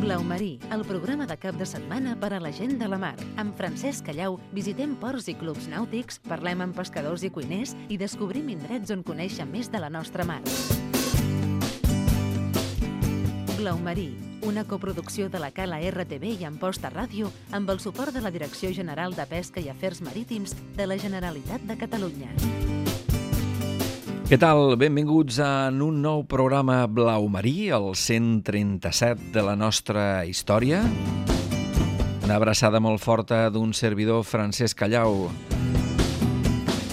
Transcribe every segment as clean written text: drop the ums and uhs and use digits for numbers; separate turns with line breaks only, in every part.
Blau Marí, el programa de cap de setmana per a la gent de la mar. Amb Francesc Callau visitem ports i clubs nàutics, parlem amb pescadors i cuiners i descobrim indrets on conèixer més de la nostra mar. Blau Marí, una coproducció de la Cala RTV i Amposta Ràdio amb el suport de la Direcció General de Pesca i Afers Marítims de la Generalitat de Catalunya.
Què tal? Benvinguts en un nou programa Blau Marí, el 137 de la nostra història. Una abraçada molt forta d'un servidor, Francesc Callau.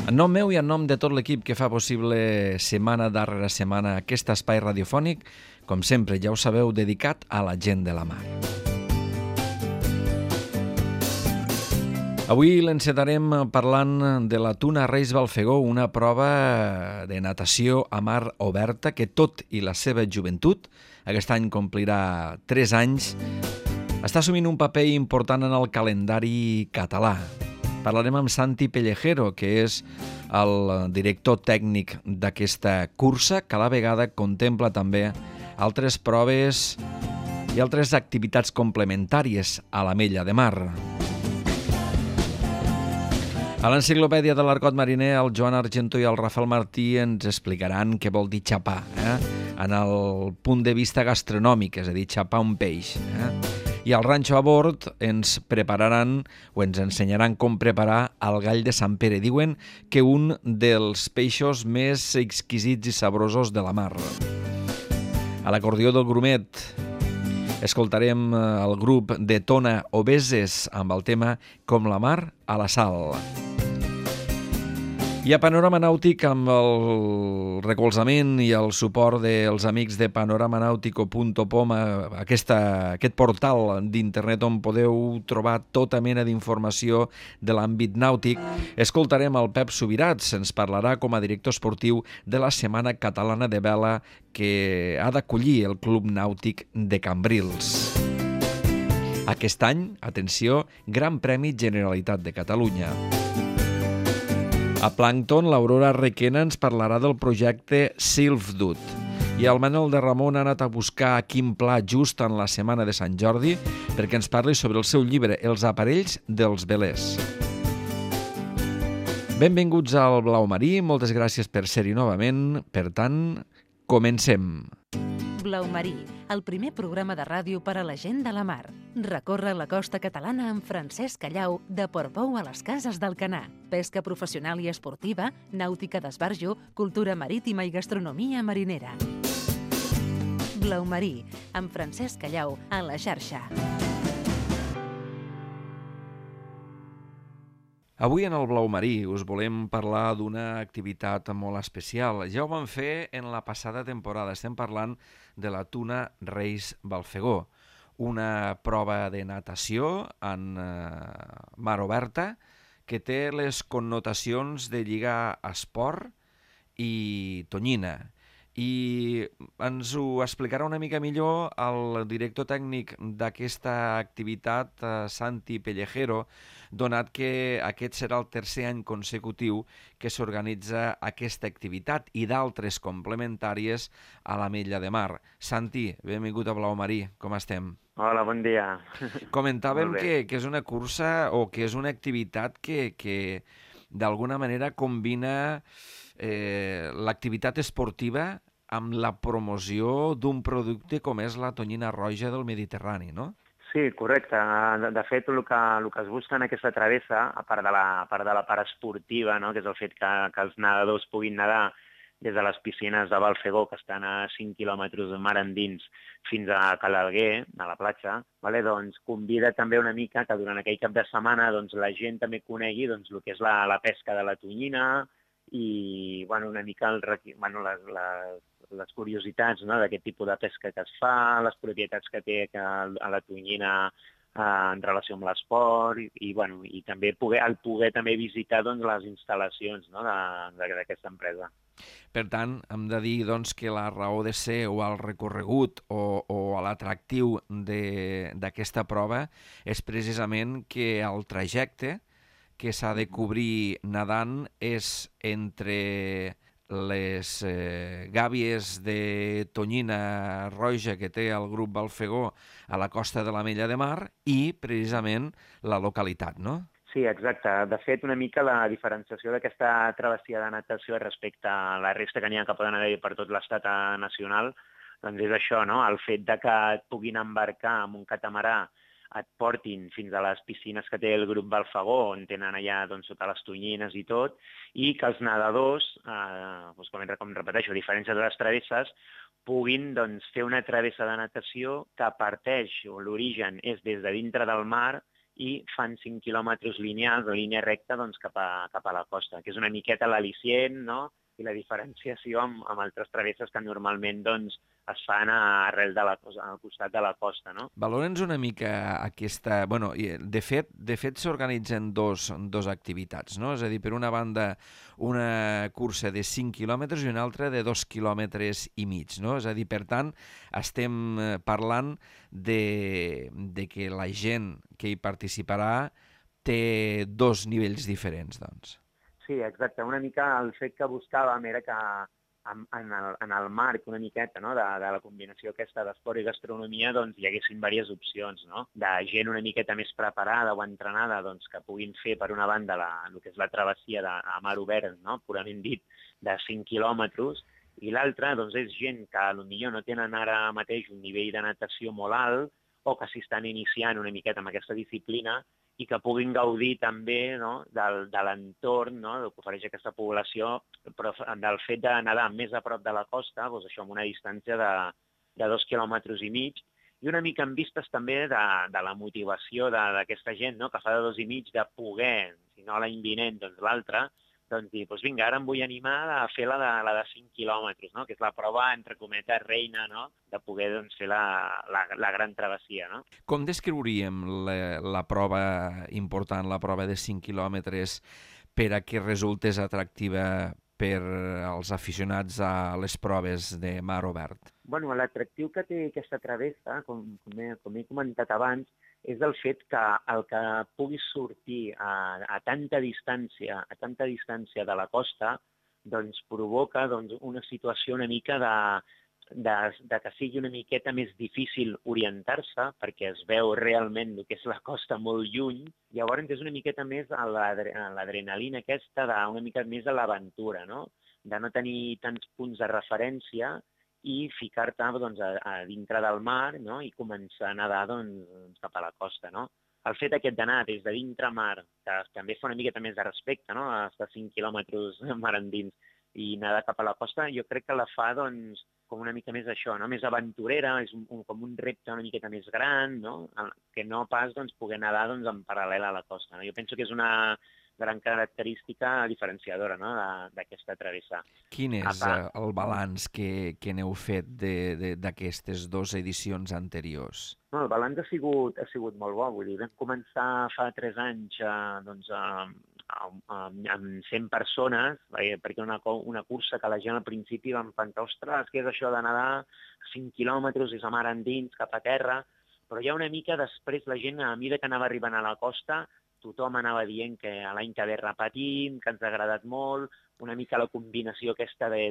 En nom meu i en nom de tot l'equip que fa possible setmana darrere setmana aquest espai radiofònic, com sempre, ja ho sabeu, dedicat a la gent de la mar. Avui l'encetarem parlant de la Tuna Reis Balfegó, una prova de natació a mar oberta que tot i la seva joventut, aquest any complirà 3 anys, està assumint un paper important en el calendari català. Parlarem amb Santi Pellejero, que és el director tècnic d'aquesta cursa, que a la vegada contempla també altres proves i altres activitats complementàries a la Mella de Mar. A l'Enciclopèdia de l'Argot Mariner, el Joan Argento i el Rafael Martí ens explicaran què vol dir xapar, en el punt de vista gastronòmic, és a dir, xapar un peix. I al Ranxo a Bord ens prepararan o ens ensenyaran com preparar el gall de Sant Pere. Diuen que un dels peixos més exquisits i saborosos de la mar. A l'acordió del Grumet escoltarem el grup de Tona Obeses amb el tema Com la mar a la sal. I a Panorama Nàutic, amb el recolzament i el suport dels amics de panoramanautico.com, aquest portal d'internet on podeu trobar tota mena d'informació de l'àmbit nàutic, escoltarem el Pep Subirats. Ens parlarà com a director esportiu de la Setmana Catalana de Vela que ha d'acollir el Club Nàutic de Cambrils. Aquest any, atenció, Gran Premi Generalitat de Catalunya. A Plàncton, l'Aurora Requena ens parlarà del projecte Silfdut. I el Manel de Ramon ha anat a buscar a Quim Pla just en la setmana de Sant Jordi perquè ens parli sobre el seu llibre Els aparells dels velers. Benvinguts al Blau Marí, moltes gràcies per ser-hi novament. Per tant, comencem.
Blau Marí, el primer programa de ràdio per a la gent de la mar. Recorre la costa catalana amb Francesc Callau, de Portbou a les Cases d'Alcanar. Pesca professional i esportiva, nàutica d'esbarjo, cultura marítima i gastronomia marinera. Blau Marí, amb Francesc Callau, a la xarxa.
Avui en el Blau Marí us volem parlar d'una activitat molt especial. Ja ho vam fer en la passada temporada. Estem parlant de la Tuna Reis Balfegó, una prova de natació en mar oberta que té les connotacions de lligar esport i tonyina. I ens ho explicarà una mica millor el director tècnic d'aquesta activitat, Santi Pellejero, donat que aquest serà el tercer any consecutiu que s'organitza aquesta activitat i d'altres complementàries a la Mella de Mar. Santi, benvingut a Blau Marí, com estem?
Hola, bon dia.
Comentàvem que és una cursa o que és una activitat que d'alguna manera combina l'activitat esportiva amb la promoció d'un producte com és la tonyina roja del Mediterrani, no?
Sí, correcte. De fet, el que es busca en aquesta travessa, a part de la part esportiva, no? Que és el fet que els nedadors puguin nedar des de les piscines de Balfegó, que estan a 5 quilòmetres de mar endins, fins a Calalguer, a la platja, doncs convida també una mica que durant aquell cap de setmana la gent també conegui el que és la pesca de la tonyina i una mica les curiositats d'aquest tipus de pesca que es fa, les propietats que té a la tonyina en relació amb l'esport i també poder també visitar les instal·lacions d'aquesta empresa.
Per tant, hem de dir que la raó de ser o el recorregut o l'atractiu d'aquesta prova és precisament que el trajecte que s'ha de cobrir nedant és entre les gàbies de tonyina roja que té el grup Balfegó a la costa de l'Ametlla de Mar i, precisament, la localitat, no?
Sí, exacte. De fet, una mica la diferenciació d'aquesta travessia de natació respecte a la resta que n'hi ha que poden haver per tot l'estat nacional, doncs és això, no? El fet de que et puguin embarcar amb un catamarà, et portin fins a les piscines que té el grup Balfegó, on tenen allà doncs, sota les tonyines i tot, i que els nedadors, doncs, com repeteixo, a diferència de les travesses, puguin doncs, fer una travessa de natació que parteix, o l'origen és des de dintre del mar, i fan 5 quilòmetres lineals o línia recta doncs, cap a la costa, que és una miqueta l'al·licient, no? I la diferenciació amb altres travesses que normalment doncs, es fan arrel de al costat de la costa, no?
Valora'ns una mica aquesta... Bueno, de fet s'organitzen dos activitats, no? És a dir, per una banda, una cursa de 5 quilòmetres i una altra de 2 quilòmetres i mig, no? És a dir, per tant, estem parlant de que la gent que hi participarà té dos nivells diferents, doncs.
Sí, exacte. Una mica el fet que buscàvem era que en el marc una miqueta no? de la combinació aquesta d'esport i gastronomia doncs, hi haguessin diverses opcions, no? De gent una miqueta més preparada o entrenada doncs, que puguin fer, per una banda, el que és la travessia a mar obert, no? Purament dit, de 5 quilòmetres, i l'altra doncs, és gent que potser no tenen ara mateix un nivell de natació molt alt o que s'hi estan iniciant una miqueta amb aquesta disciplina i que puguin gaudir també no, de l'entorn no, que ofereix aquesta població, però del fet de nedar més a prop de la costa, doncs això amb una distància de 2 quilòmetres i mig, i una mica en vistes també de la motivació d'aquesta gent, no, que fa de 2 i mig de poder, si no l'any vinent, doncs l'altre, doncs dir, doncs vinga, ara em vull animar a fer la de 5 quilòmetres, no? Que és la prova, entre cometes, reina, no? De poder doncs, fer la gran travessia. No?
Com descriuríem la prova important, la prova de 5 quilòmetres, per a que resultés atractiva per als aficionats a les proves de mar obert?
Bueno, l'atractiu que té aquesta travessa, com he comentat abans, és el fet que el que pugui sortir a tanta distància de la costa doncs, provoca doncs, una situació una mica de que sigui una miqueta més difícil orientar-se perquè es veu realment el que és la costa molt lluny. Llavors és una miqueta més l'adrenalina aquesta, una mica més a l'aventura, no? De no tenir tants punts de referència i ficar-te doncs, a dintre del mar no? I començar a nedar doncs, cap a la costa. No? El fet aquest d'anar des de dintre mar, que també fa una miqueta més de respecte, no? Estar 5 quilòmetres mar endins i nedar cap a la costa, jo crec que la fa doncs, com una mica més això, no? Més aventurera, és com un repte una miqueta més gran, no? Que no pas doncs, poder nedar doncs, en paral·lel a la costa. No? Jo penso que és una gran característica diferenciadora no? d'aquesta travessa.
Quin és el balanç que n'heu fet d'aquestes dues edicions anteriors?
No, el balanç ha sigut molt bo. Vull dir, vam començar fa 3 anys doncs, amb 100 persones, perquè una cursa que la gent al principi vam pensar, ostres, què és això de nedar 5 quilòmetres i sa mar endins cap a terra? Però ja una mica després la gent, a mesura que anava arribant a la costa, tothom anava dient que l'any que ve repetim, que ens ha agradat molt, una mica la combinació aquesta de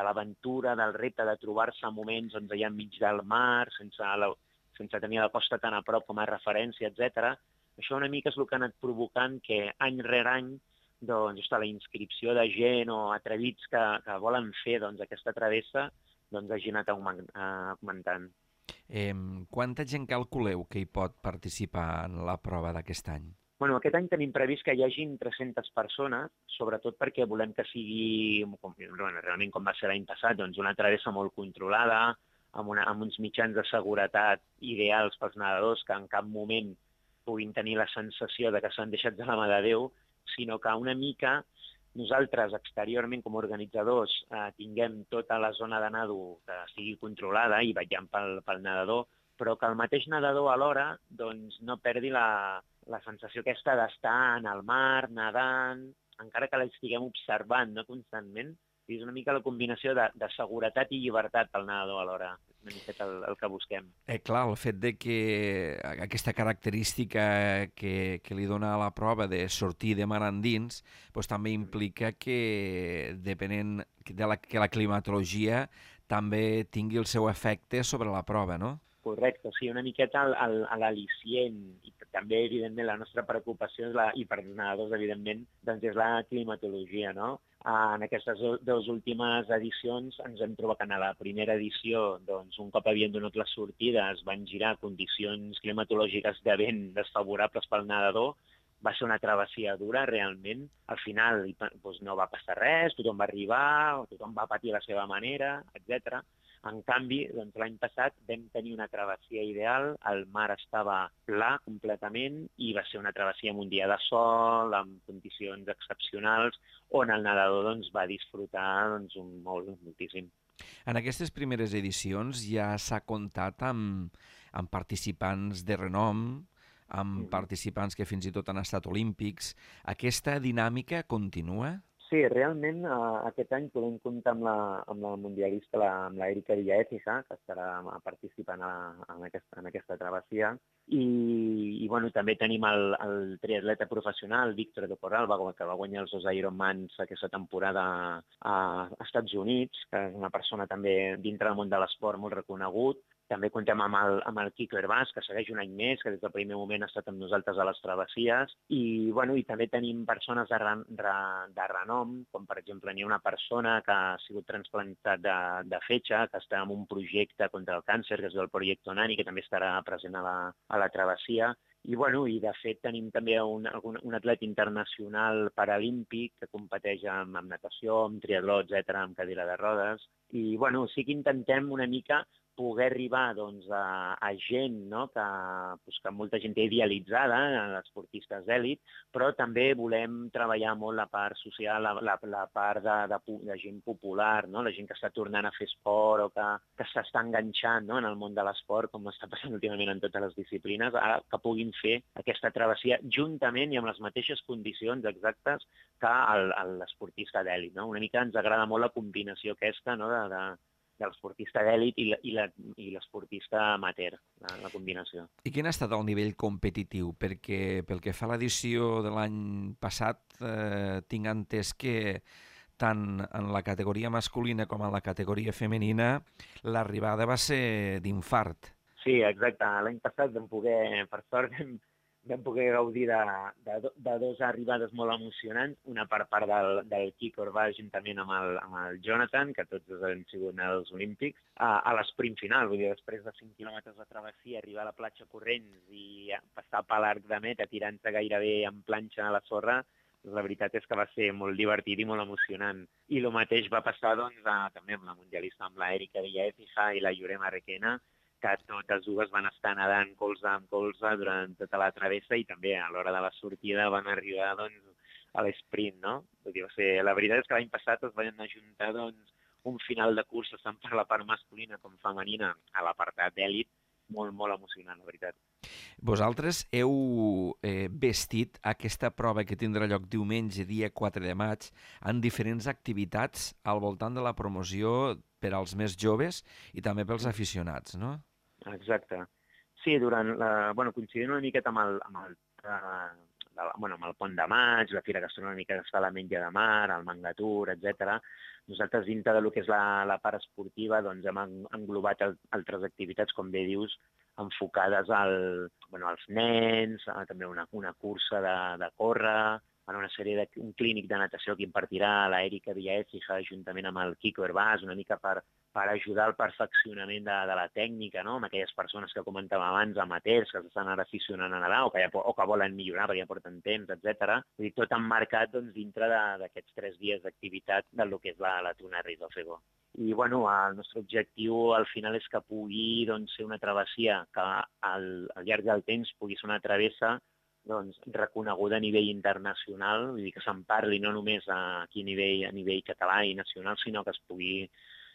l'aventura, del repte de trobar-se moments doncs, allà enmig del mar, sense tenir la costa tan a prop com a referència, etc. Això una mica és el que ha anat provocant que any rere any doncs, la inscripció de gent o atrevits que volen fer doncs, aquesta travessa doncs, hagi anat augmentant.
Quanta gent calculeu que hi pot participar en la prova d'aquest any?
Bueno, aquest any tenim previst que hi hagin 300 persones, sobretot perquè volem que sigui, realment com va ser l'any passat, doncs una travessa molt controlada, amb uns mitjans de seguretat ideals pels nedadors, que en cap moment puguin tenir la sensació de que s'han deixat de la mà de Déu, sinó que una mica nosaltres exteriorment com a organitzadors tinguem tota la zona de nado que sigui controlada i vetllant pel nedador, però que el mateix nedador alhora doncs, no perdi la sensació aquesta d'estar en el mar, nedant, encara que l'estiguem observant no, constantment. És una mica la combinació de seguretat i llibertat pel nedador alhora. una miqueta el que busquem.
Clar, el fet de que aquesta característica que li dona a la prova de sortir de mar endins doncs també implica que, depenent que la climatologia també tingui el seu efecte sobre la prova, no?
Correcte, sí, una miqueta l'al·licient i també, evidentment, la nostra preocupació i per als nedadors, evidentment, doncs és la climatologia, no? En aquestes dues últimes edicions ens hem trobat que en la primera edició, doncs, un cop havien donat la sortida, es van girar condicions climatològiques de vent desfavorables pel nedador, va ser una travessia dura, realment. Al final doncs, no va passar res, tothom va arribar, tothom va patir a la seva manera, etc. En canvi, doncs, l'any passat vam tenir una travessia ideal, el mar estava pla completament i va ser una travessia amb un dia de sol, amb condicions excepcionals, on el nedador doncs, va disfrutar doncs, moltíssim.
En aquestes primeres edicions ja s'ha comptat amb participants de renom, amb participants que fins i tot han estat olímpics. Aquesta dinàmica continua?
Sí, realment aquest any podem comptar amb la mundialista, amb l'Erika Villaécija, que estarà participant en aquesta travessia. I bueno, també tenim el triatleta professional, Víctor de Corral, que va guanyar els 2 Ironmans aquesta temporada a Estats Units, que és una persona també dintre del món de l'esport molt reconegut. També comptem amb el Quico Hervás, que segueix un any més, que des del primer moment ha estat amb nosaltres a les travessies. I també tenim persones de renom, com per exemple hi ha una persona que ha sigut transplantat de fetge, que està en un projecte contra el càncer, que és el Projecte Nani, que també estarà present a la travessia. I de fet tenim també un atleta internacional paralímpic que competeix amb natació, amb triatló, etc., amb cadira de rodes. I sí que intentem una mica poder arribar doncs, a gent, no? que molta gent té idealitzada, esportistes d'èlit, però també volem treballar molt la part social, la part de gent popular, no? La gent que està tornant a fer esport o que s'està enganxant, no? En el món de l'esport, com està passant últimament en totes les disciplines, ara que puguin fer aquesta travessia juntament i amb les mateixes condicions exactes que l'esportista d'èlit. No? Una mica ens agrada molt la combinació aquesta, no? de l'esportista d'èlit i l'esportista amateur, la combinació.
I quin ha estat el nivell competitiu? Perquè pel que fa a l'edició de l'any passat, tinc entès que tant en la categoria masculina com en la categoria femenina l'arribada va ser d'infart.
Sí, exacte. L'any passat vam poder, per sort, vam poder gaudir de 2 arribades molt emocionants, una per part del Quico Hervás juntament amb el Jonathan, que tots han sigut als Olímpics, a l'esprint final, vull dir, després de 5 quilòmetres de travessia, arribar a la platja corrents i passar per l'arc de meta tirant-se gairebé en planxa a la sorra, la veritat és que va ser molt divertit i molt emocionant. I el mateix va passar també amb la mundialista, amb l'Erika Villaécija i la Jurema Requena, que totes dues van estar nedant colze amb colze durant tota la travessa i també a l'hora de la sortida van arribar a l'esprint, no? La veritat és que l'any passat es van ajuntar un final de cursa tant per la part masculina com femenina a l'apartat d'èlit, molt, molt emocionant, la veritat.
Vosaltres heu vestit aquesta prova que tindrà lloc diumenge, dia 4 de maig, en diferents activitats al voltant de la promoció per als més joves i també pels aficionats, no?
Exacte. Sí, coincidint una miqueta amb el Pont de Maig, la Fira Gastronòmica que es fa a la Menja de Mar, el Mangatur, etc. Nosaltres, dintre del que és la part esportiva, doncs hem englobat altres activitats, com bé dius, enfocades als nens, també una cursa de córrer, un clínic de natació que impartirà l'Erika Villaécija juntament amb el Quico Hervás, una mica per ajudar al perfeccionament de la tècnica, no? Amb aquelles persones que comentàvem abans, amateurs, que s'estan ara aficionant a nedar o que volen millorar perquè ja porten temps, etc. Vull dir, tot emmarcat dintre d'aquests 3 dies d'activitat del que és la Tunarris del Fegó. I el nostre objectiu al final és que pugui ser una travessia que al llarg del temps pugui ser una travessa reconeguda a nivell internacional, vull dir que se'n parli no només aquí a nivell català i nacional, sinó que es pugui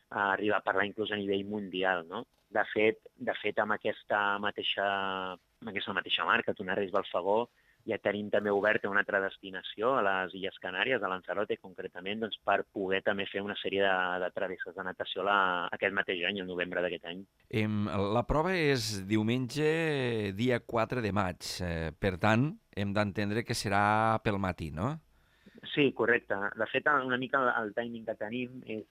arribar a parlar inclús a nivell mundial, no? De fet, amb aquesta mateixa marca, Tunarris del Fegó, ja tenim també oberta una altra destinació a les Illes Canàries, a Lanzarote concretament, doncs, per poder també fer una sèrie de travesses de natació aquest mateix any, el novembre d'aquest any.
La prova és diumenge, dia 4 de maig. Per tant, hem d'entendre que serà pel matí, no?
Sí, correcte. De fet, una mica el timing que tenim és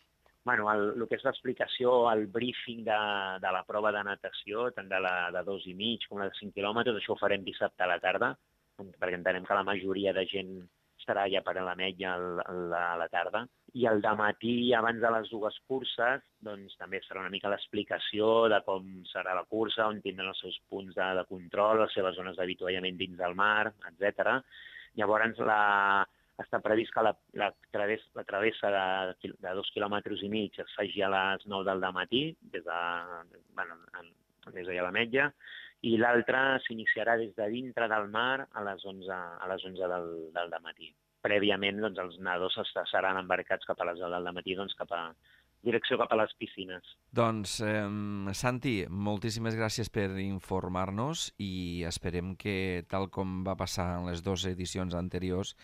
el que és l'explicació, el briefing de la prova de natació, tant de 2,5 com la de 5 quilòmetres, això ho farem dissabte a la tarda, perquè entenem que la majoria de gent estarà ja per a l'Ametlla a la tarda. I el dematí, abans de les dues curses, doncs també serà una mica l'explicació de com serà la cursa, on tindran els seus punts de control, les seves zones d'avituallament dins del mar, etc. Llavors, està previst que la travessa de 2,5 quilòmetres es faci a les 9 del dematí, des d'allà a l'Ametlla, i l'altra s'iniciarà des de dintre del mar a les 11 del dematí. Prèviament, doncs, els nedadors seran embarcats cap a les 10 del dematí, doncs, direcció cap a les piscines.
Doncs, Santi, moltíssimes gràcies per informar-nos i esperem que, tal com va passar en les dues edicions anteriors,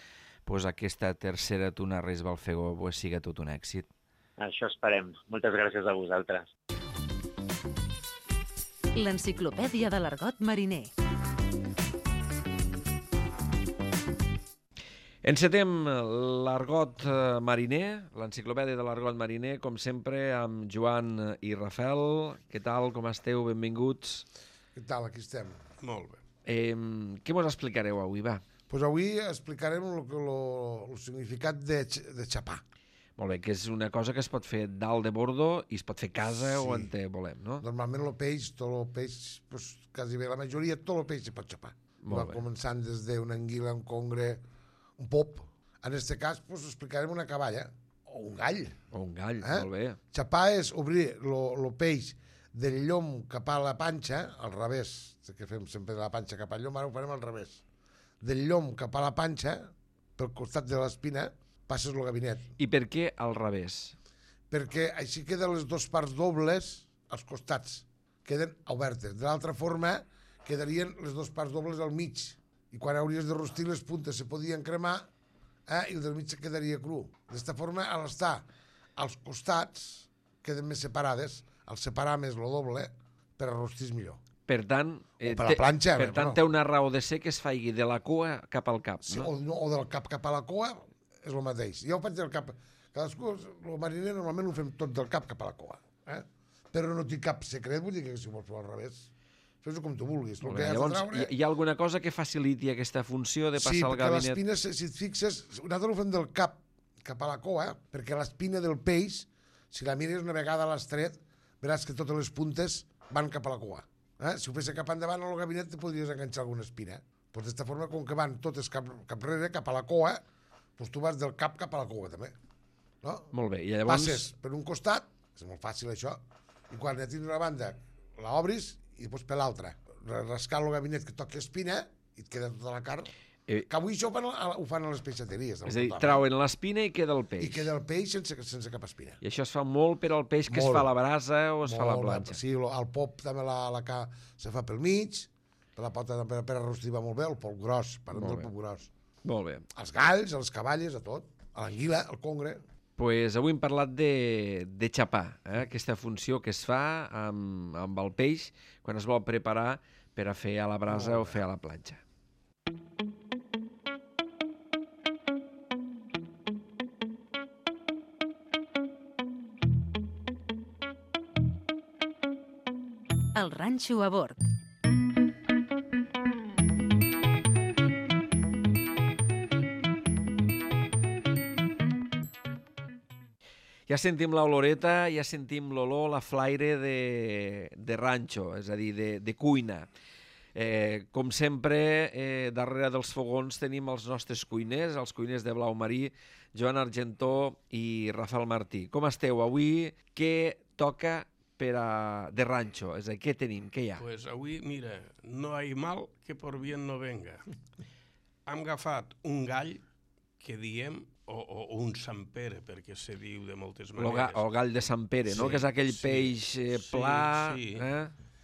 doncs aquesta tercera Tuna Reis Balfegó siga tot un èxit.
Això esperem. Moltes gràcies a vosaltres.
L'Enciclopèdia de l'Argot Mariner.
Encetem l'Argot Mariner, l'Enciclopèdia de l'Argot Mariner, com sempre, amb Joan i Rafael. Què tal, com esteu? Benvinguts.
Què tal? Aquí estem.
Molt bé.
Què mos explicareu avui, va?
Pues avui explicarem el significat de xapar.
Molt bé, que és una cosa que es pot fer dalt de bordo i es pot fer a casa o on volem, no?
Normalment tot el peix, pues, quasi bé la majoria, tot el peix se pot xapar. Va començant des d'una anguila, un congre, un pop. En aquest cas, pues, explicarem una caballa o un gall.
O un gall, molt bé.
Xapar és obrir el peix del llom cap a la panxa, al revés, que fem sempre de la panxa cap al llom, ara ho farem al revés. Del llom cap a la panxa, pel costat de l'espina, passes el gabinet.
I per què al revés?
Perquè així queden les dues parts dobles als costats, queden obertes. De l'altra forma, quedarien les dues parts dobles al mig. I quan hauries de rostir, les puntes se podien cremar i el del mig se quedaria cru. D'esta forma, al estar als costats, queden més separades. Al separar més el doble, per a rostir és millor.
Per tant,
per la planxa,
té una raó de ser que es faci de la cua cap al cap,
sí, no? O del cap a la cua, és el mateix. Jo ho faig del cap. Cadascú, el mariner normalment ho fem tot del cap cap a la cua. Però no té cap secret, vull dir que si ho vols fer al revés, fes-ho com tu vulguis.
Llavors, hi ha alguna cosa que faciliti aquesta funció de passar al gabinet?
Sí, perquè l'espina, si et fixes, nosaltres ho fem del cap cap a la cua, perquè l'espina del peix, si la mires una vegada a l'estret, veràs que totes les puntes van cap a la cua. Si ho fes cap endavant al gabinet, te podries enganxar alguna espina. Pues d'esta forma, com que van totes cap rere, cap a la cua, doncs tu vas del cap a la cua, també. No?
Molt bé, i llavors...
Passes per un costat, és molt fàcil això, i quan ja tens una banda, l'obris i després per l'altra. Rascar el gabinet que toqui espina i et queda tota la carn. Que avui això ho fan a les peixateries.
És a dir, trauen l'espina i queda el peix.
I queda el peix sense cap espina.
I això es fa molt per al peix que es fa a la brasa o es fa a la planxa.
Sí, el pop també se fa pel mig, per la pota per arrostir va molt bé, el pop gros, parlem del pop gros.
Molt bé.
Els galls, les cavalles, a tot. A l'anguila, al congre.
Pues avui hem parlat de xapar, aquesta funció que es fa amb el peix quan es vol preparar per a fer a la brasa o fer a la planxa.
El ranxo a bord.
Ja sentim l'oloreta, ja sentim l'olor, la flaire de ranxo, és a dir, de cuina. Com sempre, darrere dels fogons tenim els nostres cuiners, els cuiners de Blau Marí, Joan Argentó i Rafael Martí. Com esteu avui? Què toca de ranxo? És a dir, què tenim? Què hi ha?
Pues avui, mira, no hay mal que por bien no venga. Hem agafat un gall que diem, o un Sant Pere, perquè se diu de moltes maneres.
El gall de Sant Pere, no? Que és aquell peix pla...
Sí.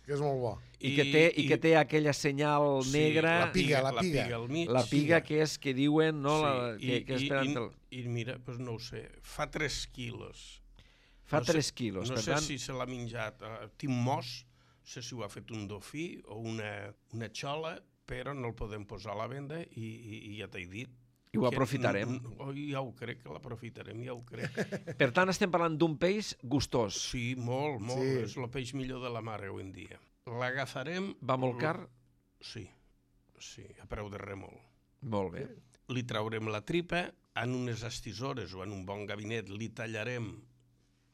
que és molt bo.
I que té aquella senyal negra...
La piga
al mig.
La piga que és que diuen, no? Que esperen...
I mira, doncs no ho sé, fa 3 quilos.
Fa 3 quilos,
no
per
sé
tant...
si se l'ha menjat Tim Moss, no sé si ho ha fet un dofí o una xola, però no el podem posar a la venda i ja t'he dit.
I ho aprofitarem.
Ja ho crec, que l'aprofitarem, ja ho crec.
Per tant, estem parlant d'un peix gustós.
Sí, molt, molt.
Sí.
És el peix millor de la mar avui en dia. L'agafarem...
Va molt car?
Sí, a preu de remol.
Molt bé.
Li traurem la tripa, en unes estisores o en un bon gabinet li tallarem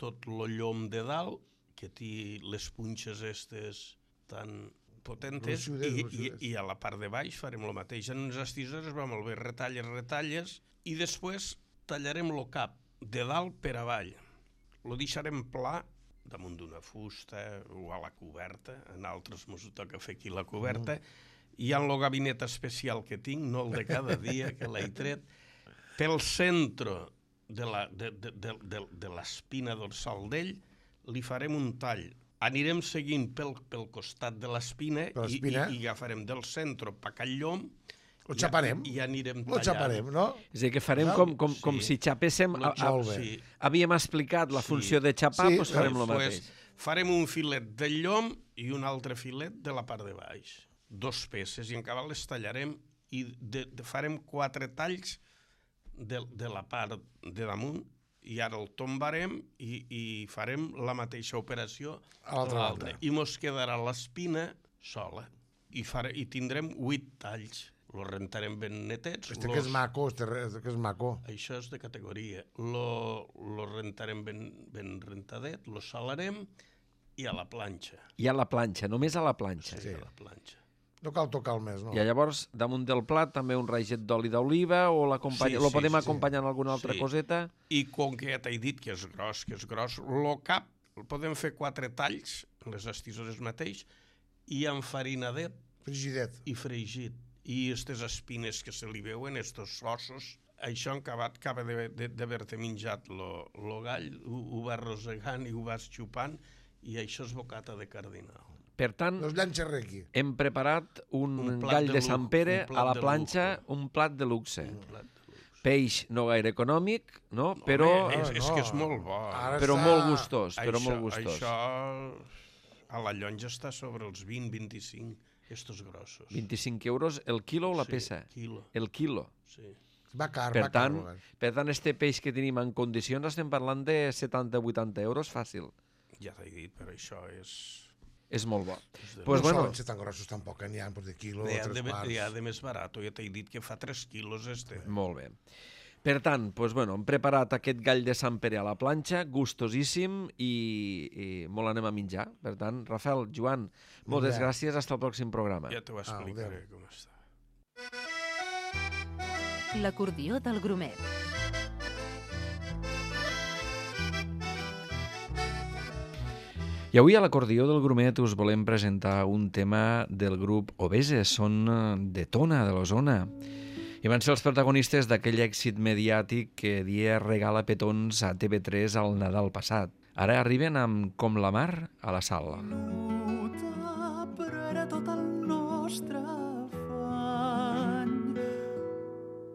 tot el llom de dalt, que té les punxes estes tan potentes, i a la part de baix farem el mateix. En unes estisores va molt bé, retalles, i després tallarem el cap de dalt per avall. Lo deixarem pla damunt d'una fusta o a la coberta, en altres mos toca fer aquí la coberta, i en el gabinet especial que tinc, no el de cada dia, que l'he tret, pel centre de l'espina dorsal d'ell li farem un tall. Anirem seguint pel costat de l'espina i agafarem del centre pa aquell llom
Lo xaparem.
I anirem tallant.
Lo xaparem, no?
És a dir, que farem com si xapéssim... Havíem explicat la funció de xapar, doncs farem el mateix.
Farem un filet del llom i un altre filet de la part de baix. 2 peces, i en acabat les tallarem i farem 4 talls de la part de damunt, i ara el tombarem i farem la mateixa operació a l'altra. I mos quedarà l'espina sola. I tindrem 8 talls. Lo rentarem ben netets.
Que és maco, que és maco.
Això és de categoria. Lo rentarem ben rentadet, lo salarem i a la planxa.
I a la planxa, només a la planxa.
Sí, a la planxa.
No cal tocar el més, no?
I llavors, damunt del plat, també un raget d'oli d'oliva o lo podem acompanyar amb alguna altra coseta?
I com que ja t'he dit que és gros, lo cap el podem fer 4 talls, les estisores mateix, i enfarinadet i fregit. I aquestes espines que se li veuen, aquests ossos, això acaba d'haver-te menjat el gall, ho vas rosegant i ho vas xupant, i això és bocata de cardinal.
Per tant, hem preparat un gall de Sant Pere a la planxa, un plat de luxe. Peix no gaire econòmic, no? Però...
És que és molt bo.
Però molt gustós,
Això a la llonja està sobre els 20-25, estos grossos.
25 euros el quilo o la peça? El quilo.
Sí.
Va car,
per tant, este peix que tenim en condicions estem parlant de 70-80 euros fàcil.
Ja t'he dit, però això és...
És molt bo.
Pues no solen ser tan grossos tampoc, n'hi ha de quilo o 3 quarts.
N'hi ha de més barat, ja t'he dit que fa 3 quilos este.
Molt bé. Per tant, hem preparat aquest gall de Sant Pere a la planxa, gustosíssim, i molt anem a menjar. Per tant, Rafael, Joan, moltes gràcies, fins al pròxim programa.
Ja t'ho explicaré com està.
L'acordió del Grumet.
I avui a l'acordió del Grumet us volem presentar un tema del grup Obeses, són de Tona, de l'Osona. I van ser els protagonistes d'aquell èxit mediàtic que dia regala petons a TV3 al Nadal passat. Ara arriben amb Com la mar a la sala.
Luta, però era tot el nostre afany.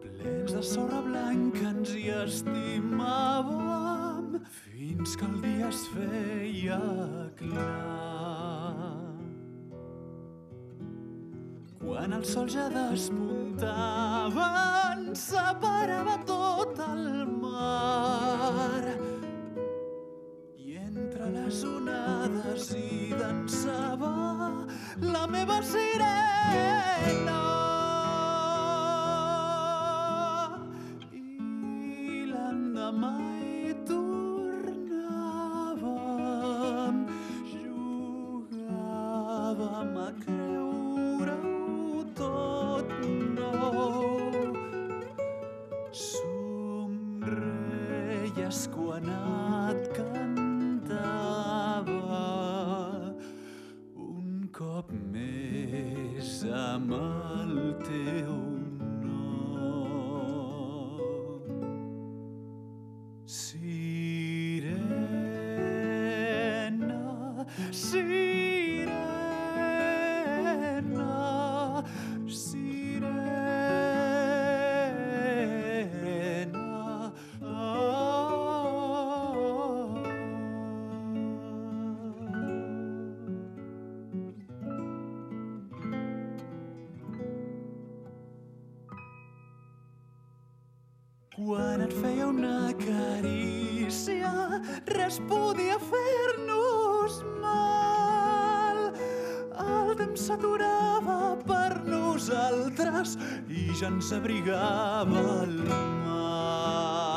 Plens de sorra blanca ens hi estimàvem fins que el dia es feia clar. Quan el sol ja despuntava ens separava tot el mar i entre les onades hi dansava la meva sirena. I l'endemà hi tornàvem, jugàvem a creure-ho tot nou. Somreies quan et cantava un cop més amb el teu nom. Sirena, sirena, Quan et feia una carícia, res podia fer-nos mal. El temps s'aturava per nosaltres i ja ens abrigava el mar.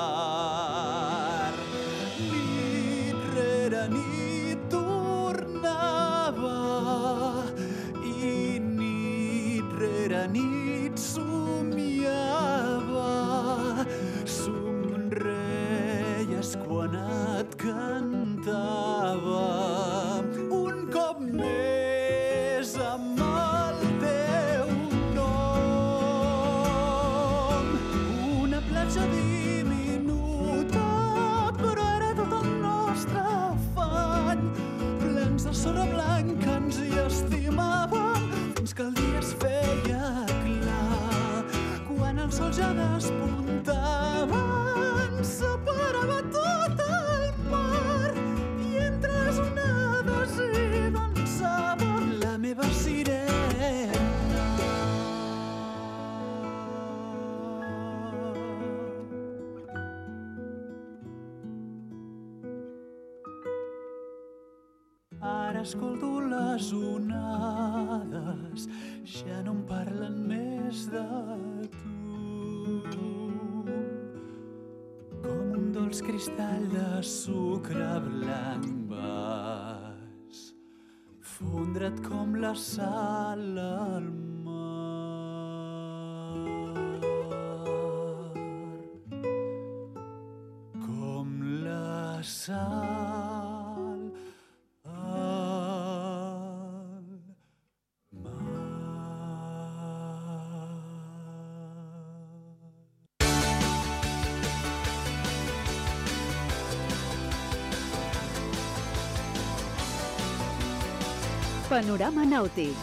Nit rere nit tornava i nit rere nit somiava. Somreies quan et cantava un cop més amb el teu nom. Una platja diminuta, però era tot el nostre afany. Plens de sorra blanca ens hi estimàvem fins que el dia es feia clar. Quan el sol ja despuntava ens separava tot el mar i entre les onades hi dansava la meva sirena. Ara escolto les onades, ja no em parlen més de tu. Com un dolç cristall de sucre blanc vas fondre't com la sal al mar. Com la sal al mar.
Panorama nàutic.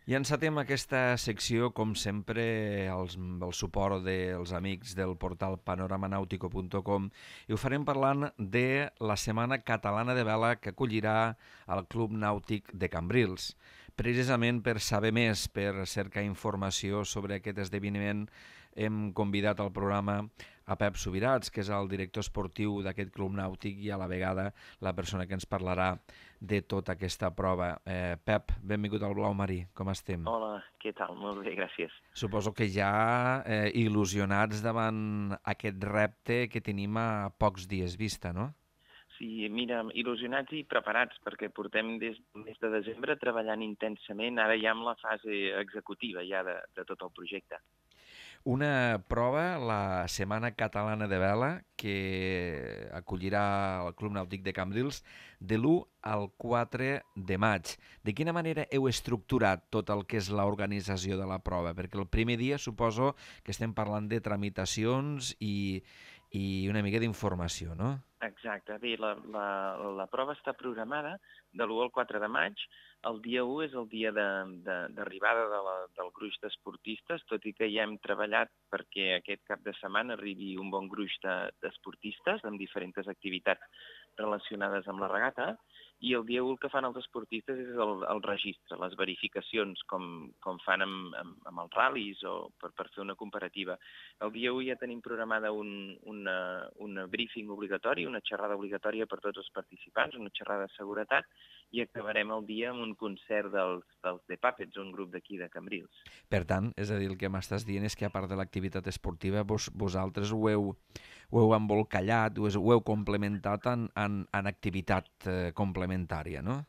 I encetem aquesta secció, com sempre, el suport dels amics del portal panoramanautico.com, i ho farem parlant de la Setmana Catalana de Vela que acollirà el Club Nàutic de Cambrils. Precisament per saber més, per cercar informació sobre aquest esdeveniment, hem convidat al programa a Pep Subirats, que és el director esportiu d'aquest club nàutic i a la vegada la persona que ens parlarà de tota aquesta prova. Pep, benvingut al Blau Marí, com estem?
Hola, què tal? Molt bé, gràcies.
Suposo que ja il·lusionats davant aquest repte que tenim a pocs dies vista, no?
Sí, mira, il·lusionats i preparats, perquè portem des del mes de desembre treballant intensament, ara ja amb la fase executiva ja de tot el projecte.
Una prova, la Setmana Catalana de Vela, que acollirà el Club Nàutic de Cambrils de l'1 al 4 de maig. De quina manera heu estructurat tot el que és l'organització de la prova? Perquè el primer dia suposo que estem parlant de tramitacions i una mica d'informació, no?
Exacte. Bé, la prova està programada de l'1 al 4 de maig. El dia 1 és el dia d'arribada del gruix d'esportistes, tot i que ja hem treballat perquè aquest cap de setmana arribi un bon gruix d'esportistes amb diferents activitats relacionades amb la regata, i el dia 1 el que fan els esportistes és el registre, les verificacions, com fan amb els ral·lis o per fer una comparativa. El dia 1 ja tenim programada un briefing obligatori, una xerrada obligatòria per tots els participants, una xerrada de seguretat, i acabarem el dia amb un concert dels The Puppets, un grup d'aquí de Cambrils.
Per tant, és a dir, el que m'estàs dient és que a part de l'activitat esportiva vosaltres ho heu embolcallat, ho heu complementat en activitat complementària, no?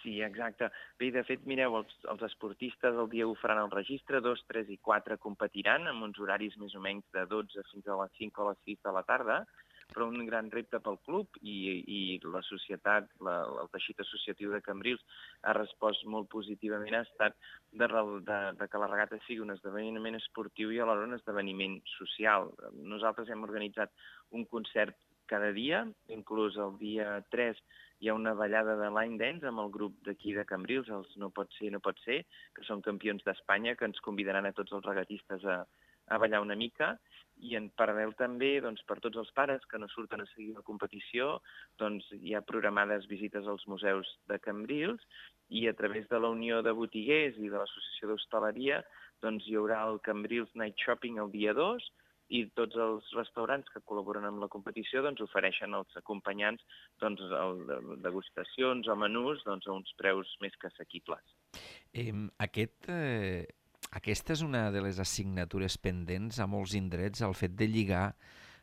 Sí, exacte. Bé, de fet, mireu, els esportistes el dia 1 faran el registre, 2, 3 i 4 competiran amb uns horaris més o menys de 12 fins a les 5 o les 6 de la tarda, però un gran repte pel club i la societat, el teixit associatiu de Cambrils ha respost molt positivament, ha estat de que la regata sigui un esdeveniment esportiu i alhora un esdeveniment social. Nosaltres hem organitzat un concert cada dia, inclús el dia 3 hi ha una ballada de line dance amb el grup d'aquí de Cambrils, els No Pot Ser, que són campions d'Espanya, que ens convidaran a tots els regatistes a ballar una mica, I en paral·lel també, doncs, per tots els pares que no surten a seguir la competició, doncs, hi ha programades visites als museus de Cambrils i a través de la Unió de Botiguers i de l'Associació d'Hostaleria doncs, hi haurà el Cambrils Night Shopping el dia 2 i tots els restaurants que col·laboren amb la competició doncs, ofereixen als acompanyants doncs, degustacions o menús doncs, a uns preus més que assequibles.
Aquesta és una de les assignatures pendents a molts indrets, el fet de lligar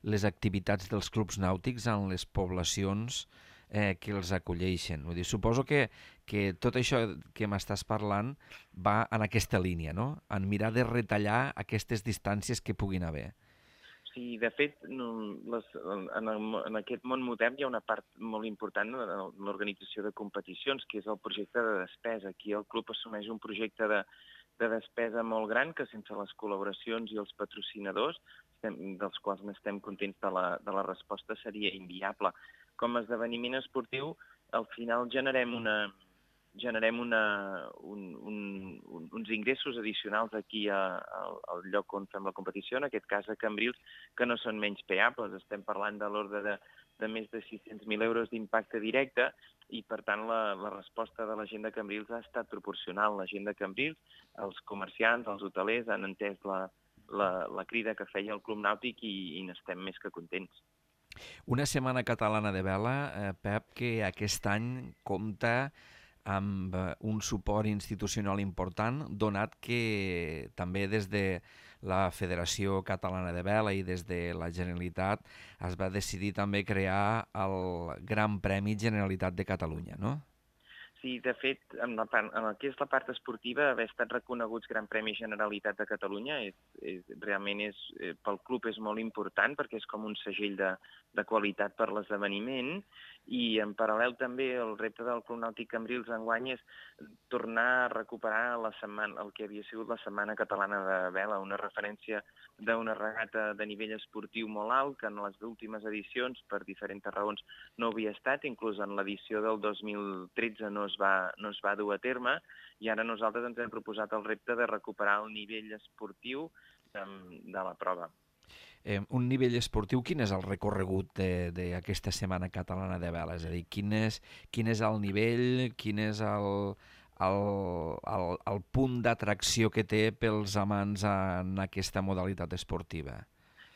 les activitats dels clubs nàutics en les poblacions que els acolleixen. Vull dir, suposo que tot això que m'estàs parlant va en aquesta línia, no? En mirar de retallar aquestes distàncies que puguin haver.
Sí, de fet, en aquest món modern hi ha una part molt important en l'organització de competicions, que és el projecte de despesa. Aquí el club assumeix un projecte de despesa molt gran que sense les col·laboracions i els patrocinadors, dels quals n'estem contents de la resposta, seria inviable. Com a esdeveniment esportiu, al final generem uns ingressos addicionals aquí al lloc on fem la competició, en aquest cas a Cambrils, que no són menys peables. Estem parlant de l'ordre de més de 600.000 euros d'impacte directe i, per tant, la resposta de la gent de Cambrils ha estat proporcional. La gent de Cambrils, els comerciants, els hotelers, han entès la crida que feia el Club Nàutic i n'estem més que contents.
Una setmana catalana de vela, Pep, que aquest any compta amb un suport institucional important, donat que també des de la Federació Catalana de Vela i des de la Generalitat es va decidir també crear el Gran Premi Generalitat de Catalunya, no?
Sí, de fet, en el que és la part esportiva, haver estat reconeguts Gran Premi Generalitat de Catalunya realment pel club és molt important perquè és com un segell de qualitat per l'esdeveniment i en paral·lel també el repte del Club Nàutic Cambrils enguany és tornar a recuperar el que havia sigut la Setmana Catalana de Vela, una referència d'una regata de nivell esportiu molt alt que en les últimes edicions per diferents raons no havia estat, inclús en l'edició del 2013 no es va dur a terme i ara nosaltres ens hem proposat el repte de recuperar el nivell esportiu de la prova.
Un nivell esportiu, quin és el recorregut d'aquesta Setmana Catalana de Vela? És a dir, quin és el nivell, quin és el punt d'atracció que té pels amants en aquesta modalitat esportiva?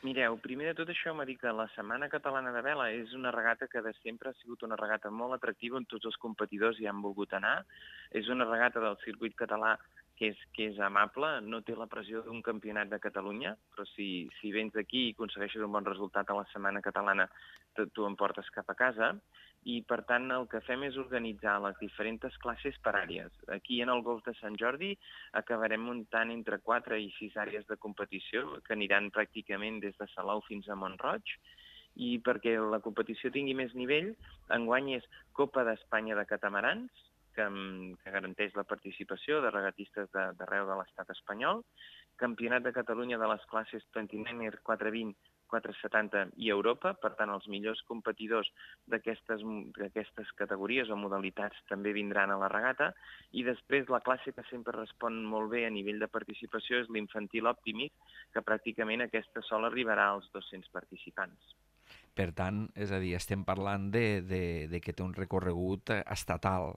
Mireu, primer de tot això m'ha dit que la Setmana Catalana de Vela és una regata que de sempre ha sigut una regata molt atractiva on tots els competidors hi han volgut anar. És una regata del circuit català que és amable, no té la pressió d'un campionat de Catalunya, però si vens d'aquí i aconsegueixes un bon resultat a la Setmana Catalana, tu em portes cap a casa. I, per tant, el que fem és organitzar les diferents classes per àrees. Aquí, en el Golf de Sant Jordi, acabarem muntant entre 4 i 6 àrees de competició, que aniran pràcticament des de Salou fins a Mont-roig, i perquè la competició tingui més nivell, enguany és Copa d'Espanya de Catamarans, que garanteix la participació de regatistes d'arreu de l'estat espanyol, Campionat de Catalunya de les classes 29er, 420, 470 i Europa, per tant els millors competidors d'aquestes categories o modalitats també vindran a la regata, i després la classe que sempre respon molt bé a nivell de participació és l'infantil Optimist, que pràcticament aquesta sola arribarà als 200 participants.
Per tant, és a dir, estem parlant de que té un recorregut estatal,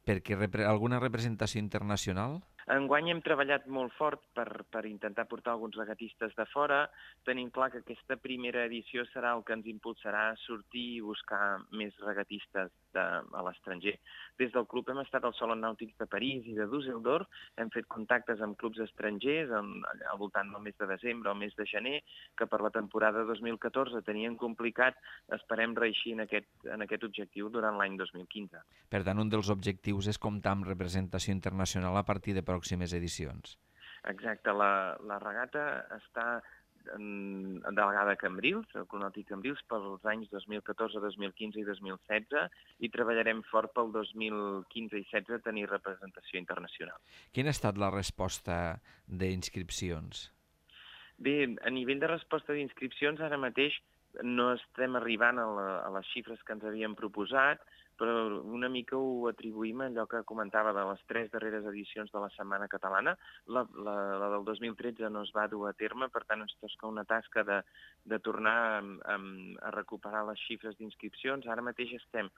perquè alguna representació internacional?
Enguany hem treballat molt fort per intentar portar alguns regatistes de fora. Tenim clar que aquesta primera edició serà el que ens impulsarà a sortir i buscar més regatistes a l'estranger. Des del club hem estat al Saló Nàutic de París i de Düsseldorf, hem fet contactes amb clubs estrangers al voltant del mes de desembre o mes de gener, que per la temporada 2014 tenien complicat. Esperem reeixir en aquest objectiu durant l'any 2015.
Per tant, un dels objectius és comptar amb representació internacional a partir de pròximes edicions.
Exacte, la regata està delegada a Cambrils, el Club Nàutic Cambrils, pels anys 2014, 2015 i 2016, i treballarem fort pel 2015 i 2016 tenir representació internacional.
Quina ha estat la resposta d'inscripcions?
Bé, a nivell de resposta d'inscripcions, ara mateix no estem arribant a les xifres que ens havíem proposat, però una mica ho atribuïm a allò que comentava de les 3 darreres edicions de la Setmana Catalana. La del 2013 no es va dur a terme, per tant ens tosca una tasca de tornar a recuperar les xifres d'inscripcions. Ara mateix estem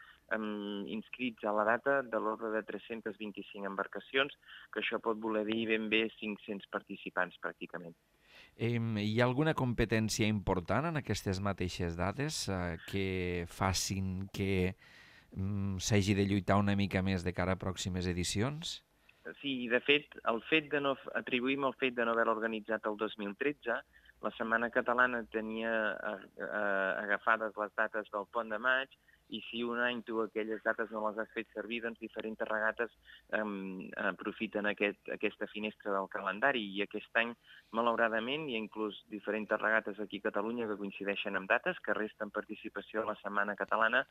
inscrits a la data de l'ordre de 325 embarcacions, que això pot voler dir ben bé 500 participants pràcticament.
Hi ha alguna competència important en aquestes mateixes dades que facin que s'hagi de lluitar una mica més de cara a pròximes edicions?
Sí, de fet, atribuïm el fet de no haver-la organitzat el 2013. La Setmana Catalana tenia agafades les dates del Pont de Maig, i si un any tu aquelles dates no les has fet servir, doncs diferents regates aprofiten aquesta finestra del calendari, i aquest any, malauradament, hi ha inclús diferents regates aquí a Catalunya que coincideixen amb dates, que resten participació a la Setmana Catalana.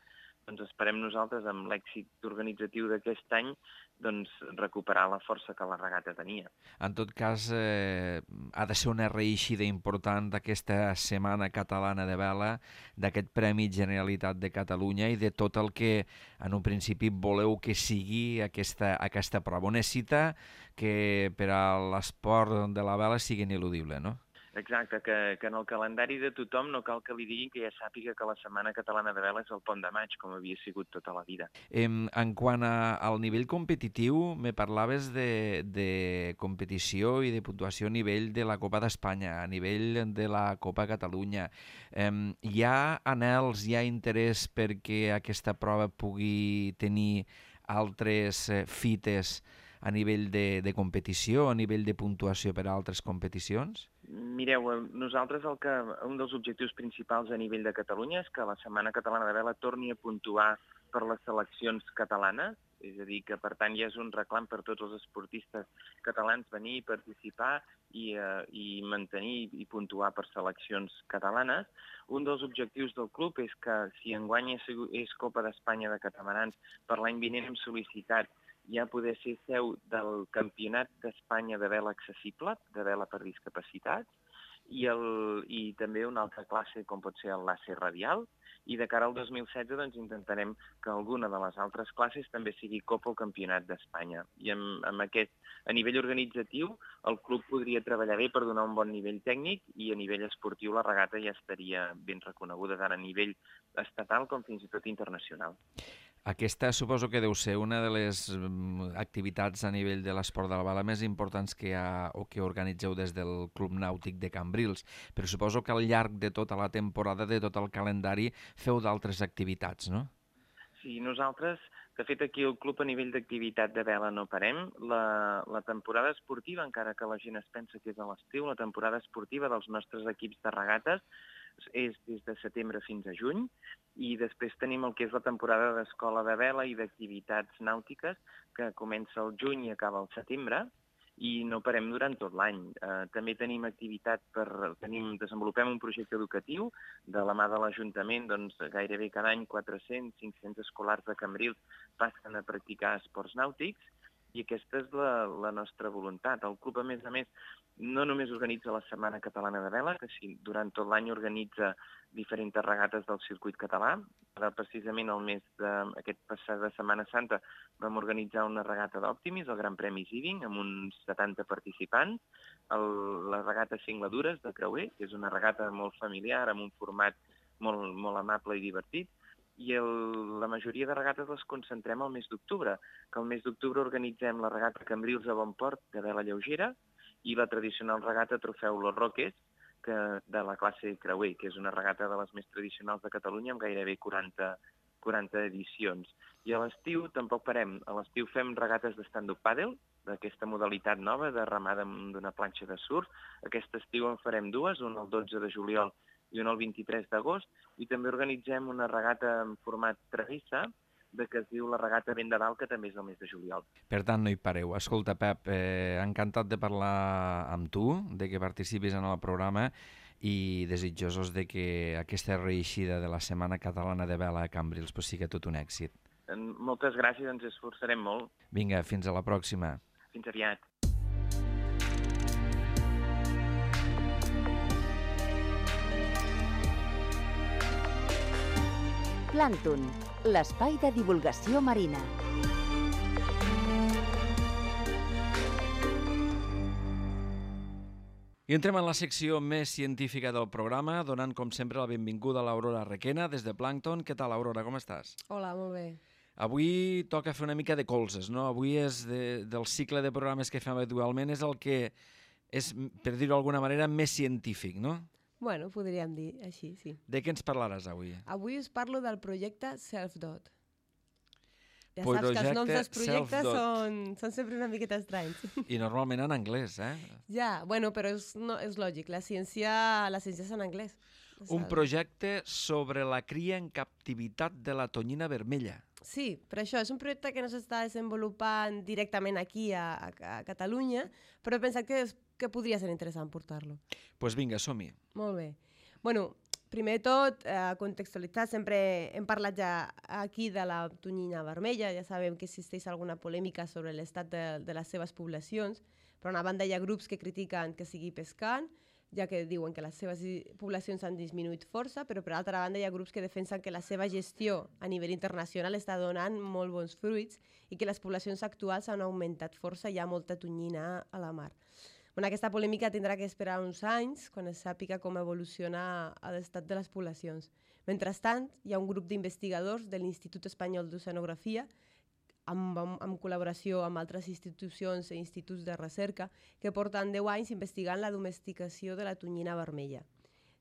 Doncs esperem nosaltres, amb l'èxit organitzatiu d'aquest any, doncs recuperar la força que la regata tenia.
En tot cas, ha de ser una reeixida important d'aquesta Setmana Catalana de Vela, d'aquest Premi Generalitat de Catalunya i de tot el que en un principi voleu que sigui aquesta prova. Una cita que per a l'esport de la vela sigui ineludible, no?
Exacte, que en el calendari de tothom no cal que li diguin que ja sàpiga que la Setmana Catalana de Vela és el Pont de Maig, com havia sigut tota la vida.
En quant al nivell competitiu, me parlaves de competició i de puntuació a nivell de la Copa d'Espanya, a nivell de la Copa Catalunya. Hi ha anhels, hi ha interès perquè aquesta prova pugui tenir altres fites a nivell de competició, a nivell de puntuació per a altres competicions?
Mireu, nosaltres un dels objectius principals a nivell de Catalunya és que la Setmana Catalana de Vela torni a puntuar per les seleccions catalanes, és a dir, que per tant ja és un reclam per tots els esportistes catalans venir i participar i mantenir i puntuar per seleccions catalanes. Un dels objectius del club és que si enguany és Copa d'Espanya de catamarans, per l'any vinent hem sol·licitat ja poder ser seu del Campionat d'Espanya de vela accessible, de vela per discapacitats, i també una altra classe com pot ser el làser radial, i de cara al 2016 doncs, intentarem que alguna de les altres classes també sigui Copa o Campionat d'Espanya. I amb aquest, a nivell organitzatiu, el club podria treballar bé per donar un bon nivell tècnic, i a nivell esportiu la regata ja estaria ben reconeguda tant a nivell estatal com fins i tot internacional.
Aquesta suposo que deu ser una de les activitats a nivell de l'esport de la vela més importants que hi ha o que organitzeu des del Club Nàutic de Cambrils, però suposo que al llarg de tota la temporada, de tot el calendari, feu d'altres activitats, no?
Sí, nosaltres, de fet, aquí al club a nivell d'activitat de vela no parem. La temporada esportiva, encara que la gent es pensa que és a l'estiu, la temporada esportiva dels nostres equips de regates és des de setembre fins a juny, i després tenim el que és la temporada d'escola de vela i d'activitats nàutiques, que comença al juny i acaba al setembre, i no parem durant tot l'any. També tenim activitat desenvolupem un projecte educatiu de la mà de l'Ajuntament, doncs gairebé cada any 400-500 escolars de Cambrils passen a practicar esports nàutics, i aquesta és la nostra voluntat. El club, a més, no només organitza la Setmana Catalana de Vela, que durant tot l'any organitza diferents regates del circuit català. Ara, precisament, el mes d'aquest passat de Setmana Santa vam organitzar una regata d'Optimis, el Gran Premi Ziving, amb uns 70 participants. La regata Cingladures de Creuer, que és una regata molt familiar, amb un format molt amable i divertit. I la majoria de regates les concentrem al mes d'octubre, que al mes d'octubre organitzem la regata Cambrils a Bonport de vela lleugera i la tradicional regata Trofeu Los Roques de la classe Creuer, que és una regata de les més tradicionals de Catalunya amb gairebé 40 edicions. I a l'estiu tampoc parem. A l'estiu fem regates de stand-up paddle, d'aquesta modalitat nova de remada d'una planxa de surf. Aquest estiu en farem dues, una el 12 de juliol i una el 23 d'agost, i també organitzem una regata en format travessa, que es diu la regata Vent de Dalt, que també és el mes de juliol.
Per tant, no hi pareu. Escolta, Pep, encantat de parlar amb tu, de que participis en el programa, i desitjosos de que aquesta reeixida de la Setmana Catalana de Vela a Cambrils sigui tot un èxit.
Moltes gràcies, ens esforçarem molt.
Vinga, fins a la pròxima.
Fins aviat.
Plàncton, l'espai de divulgació marina.
I entrem en la secció més científica del programa, donant, com sempre, la benvinguda a l'Aurora Requena, des de Plàncton. Què tal, Aurora, com estàs?
Hola, molt bé.
Avui toca fer una mica de colzes, no? Avui és del cicle de programes que fem habitualment, és el que és, per dir-ho d'alguna manera, més científic, no?
Bueno, podríem dir així, sí.
De què ens parlaràs avui?
Avui us parlo del projecte Self-Dot. Ja saps que els noms dels projectes són sempre una miqueta estranys.
I normalment en anglès, eh?
Ja, bueno, però és lògic, la ciència és en anglès.
Un projecte sobre la cria en captivitat de la tonyina vermella.
Sí, per això és un projecte que no s'està desenvolupant directament aquí a Catalunya, però he pensat que podria ser interessant portar-lo.
Doncs vinga, som-hi.
Molt bé. Bueno, primer de tot, contextualitzar, sempre hem parlat ja aquí de la tonyina vermella, ja sabem que existeix alguna polèmica sobre l'estat de les seves poblacions, per una banda hi ha grups que critiquen que sigui pescant, ja que diuen que les seves poblacions han disminuït força, però per altra banda hi ha grups que defensen que la seva gestió a nivell internacional està donant molt bons fruits i que les poblacions actuals han augmentat força i hi ha molta tonyina a la mar. Bueno, aquesta polèmica tindrà que esperar uns anys quan es sàpiga com evoluciona l'estat de les poblacions. Mentrestant, hi ha un grup d'investigadors de l'Institut Espanyol d'Oceanografia en col·laboració amb altres institucions i instituts de recerca que porten 10 anys investigant la domesticació de la tonyina vermella.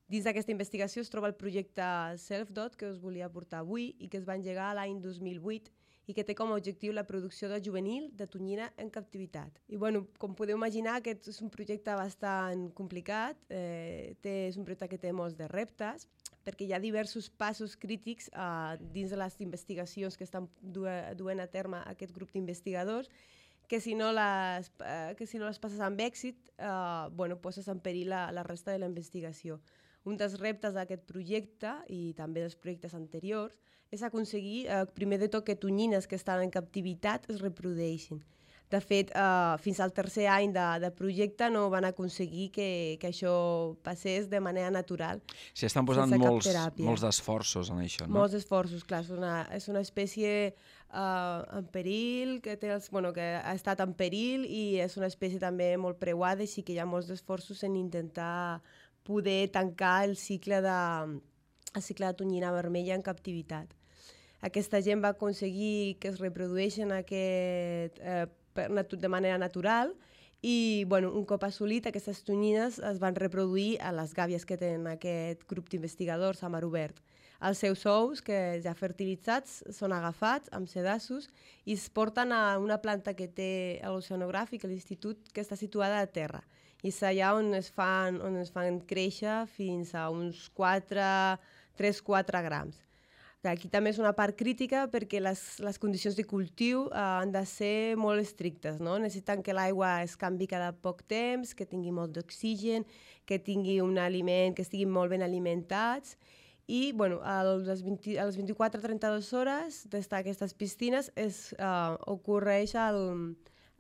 Dins d'aquesta investigació es troba el projecte Self-Dot que us volia portar avui i que es va engegar l'any 2008 i que té com a objectiu la producció de juvenil de tonyina en captivitat. I bueno, com podeu imaginar, aquest és un projecte bastant complicat, és un projecte que té molts de reptes, perquè hi ha diversos passos crítics dins de les investigacions que estan duent a terme aquest grup d'investigadors, que si no les passes amb èxit, poses en perill la resta de la investigació. Un dels reptes d'aquest projecte, i també dels projectes anteriors, és aconseguir, primer de tot, que tonyines que estan en captivitat es reprodueixin. De fet, fins al tercer any de projecte no van aconseguir que això passés de manera natural.
S'hi estan posant molts esforços en això, no?
Molts esforços, clar. És una espècie en perill, que ha estat en perill i és una espècie també molt preuada, així que hi ha molts esforços en intentar poder tancar el cicle de tonyina vermella en captivitat. Aquesta gent va aconseguir que es reprodueixen de manera natural i un cop assolit aquestes tonyines es van reproduir a les gàbies que tenen aquest grup d'investigadors a mar obert. Els seus ous, que ja fertilitzats, són agafats amb sedassos i es porten a una planta que té l'oceanogràfic, l'institut, que està situada a terra. I és allà on es fan créixer fins a uns 3-4 grams. Aquí també és una part crítica perquè les condicions de cultiu han de ser molt estrictes, no? Necessiten que l'aigua es canvi cada poc temps, que tingui molt d'oxigen, que tingui un aliment, que estiguin molt ben alimentats. I a les 24-32 hores d'estar a aquestes piscines ocorreix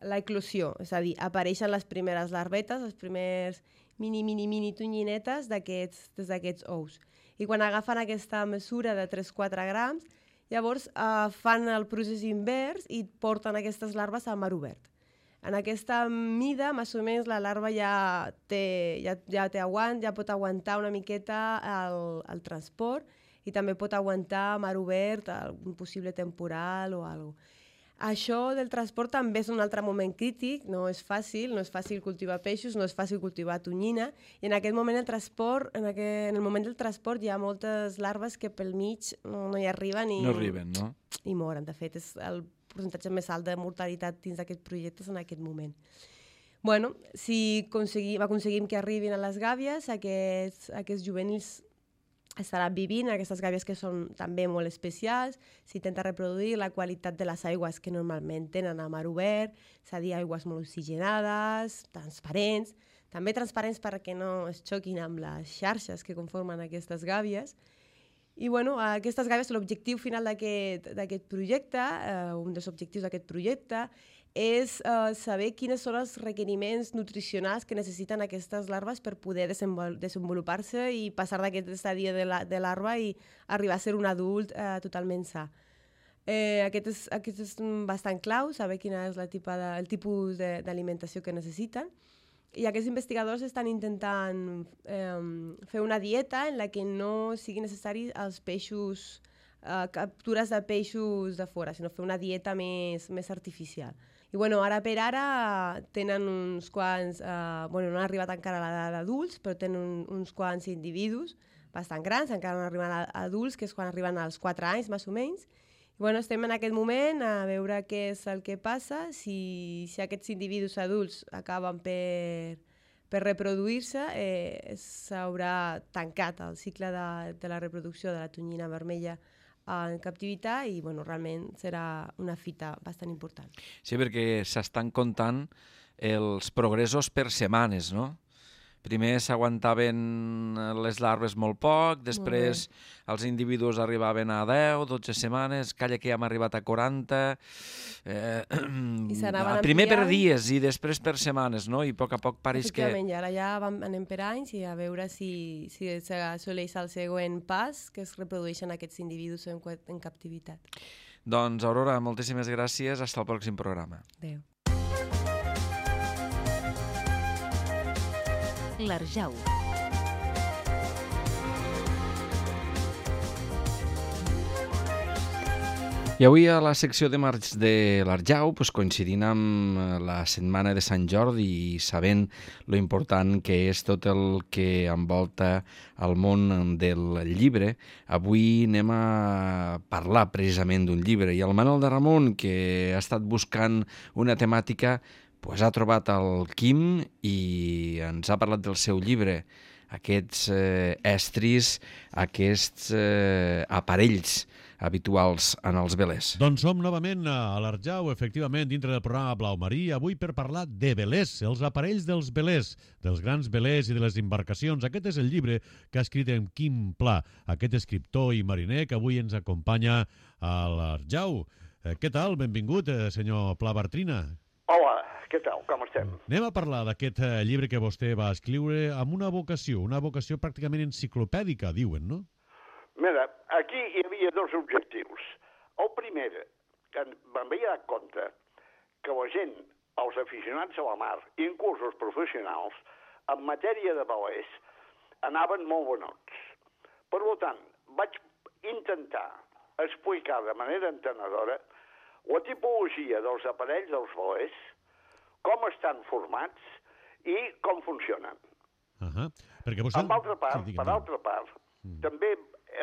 l'eclosió, és a dir, apareixen les primeres larvetes, les primeres mini tonyinetes d'aquests ous. I quan agafen aquesta mesura de 3-4 grams, llavors fan el procés invers i porten aquestes larves a mar obert. En aquesta mida, més o menys, la larva ja té aguant, ja pot aguantar una miqueta el transport i també pot aguantar a mar obert un possible temporal o alguna cosa. Això del transport també és un altre moment crític, no és fàcil cultivar peixos, no és fàcil cultivar tonyina, i en aquest moment en el moment del transport hi ha moltes larves que pel mig no hi arriben i moren. De fet, és el percentatge més alt de mortalitat dins d'aquest projecte en aquest moment. Si aconseguim que arribin a les gàbies, aquests juvenils estaran vivint, aquestes gàbies que són també molt especials, s'intenta reproduir la qualitat de les aigües que normalment tenen a mar obert, és a dir, aigües molt oxigenades, transparents, també transparents perquè no es xoquin amb les xarxes que conformen aquestes gàbies, I bueno, aquestes gàbies, l'objectiu final d'aquest projecte, un dels objectius d'aquest projecte, és saber quins són els requeriments nutricionals que necessiten aquestes larves per poder desenvolupar-se i passar d'aquest estadi de larva i arribar a ser un adult totalment sa. Aquest és bastant clau, saber quin és el tipus d'alimentació que necessiten. I aquests investigadors estan intentant fer una dieta en la que no sigui necessari els peixos, captures de peixos de fora, sinó fer una dieta més artificial. I bueno, ara per ara tenen uns quants, no han arribat encara a l'edat d'adults, però tenen uns quants individus bastant grans, encara no arriben a adults, que és quan arriben als 4 anys, més o menys. I bueno, estem en aquest moment a veure què és el que passa, si aquests individus adults acaben per reproduir-se, s'haurà tancat el cicle de la reproducció de la tonyina vermella en captivitat i bueno, realment serà una fita bastant important.
Sí, perquè s'estan comptant els progressos per setmanes, no? Primer s'aguantaven les larves molt poc, després els individus arribaven a 10, 12 setmanes, calla que ja hem arribat a 40, primer per dies i després per setmanes, no? I a poc pareix que...
Efectivament, ara ja anem per anys i a veure si s'assoleix el següent pas, que es reprodueixen aquests individus en captivitat.
Doncs, Aurora, moltíssimes gràcies. Hasta el pròxim programa.
Adéu.
L'Arjau.
I avui a la secció de març de l'Arjau, coincidint amb la setmana de Sant Jordi i sabent lo important que és tot el que envolta el món del llibre, avui anem a parlar precisament d'un llibre. I el Manel de Ramon, que ha estat buscant una temàtica, ha trobat el Quim i ens ha parlat del seu llibre, aquests estris, aquests aparells habituals en els velers.
Doncs som novament a l'Arjau, efectivament, dintre del programa Blau Marí, avui per parlar de velers, els aparells dels velers, dels grans velers i de les embarcacions. Aquest és el llibre que ha escrit en Quim Pla, aquest escriptor i mariner que avui ens acompanya a l'Arjau. Què tal? Benvingut, senyor Pla Bartrina.
Hola, què tal? Com estem?
Anem a parlar d'aquest llibre que vostè va escriure amb una vocació pràcticament enciclopèdica, diuen, no?
Mira, aquí hi havia dos objectius. El primer, que me'n vaig dar compte que la gent, els aficionats a la mar, inclús els professionals, en matèria de velers, anaven molt venuts. Per tant, vaig intentar explicar de manera entenedora la tipologia dels aparells dels velers, com estan formats i com funcionen.
Perquè vostè...
Per altra part, també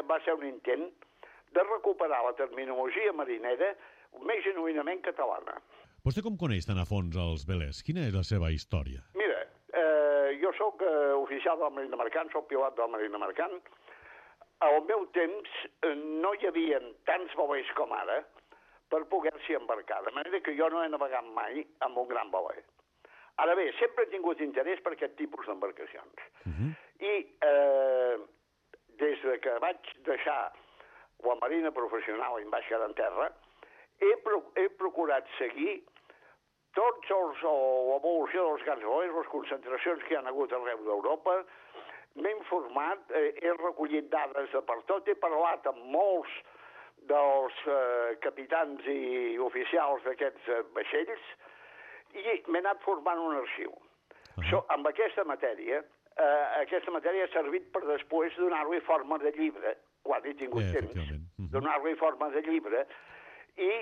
va ser un intent de recuperar la terminologia marinera més genuïnament catalana.
Vostè com coneix tan a fons els velers? Quina és la seva història?
Mira, jo sóc oficial de la Marina Mercant, soc pilot de la Marina Mercant. Al meu temps no hi havia tants velers com ara per poder-s'hi embarcar, de manera que jo no he navegat mai amb un gran veler. Ara bé, sempre he tingut interès per aquest tipus d'embarcacions. I des que vaig deixar la marina professional i em vaig quedar en terra, he procurat seguir l'evolució dels grans velers, les concentracions que hi ha hagut arreu d'Europa. M'he informat, he recollit dades de per tot, he parlat amb molts dels capitans i oficials d'aquests vaixells i m'he anat formant un arxiu. Amb aquesta matèria ha servit per després donar-li forma de llibre, quan he tingut temps, donar-li forma de llibre i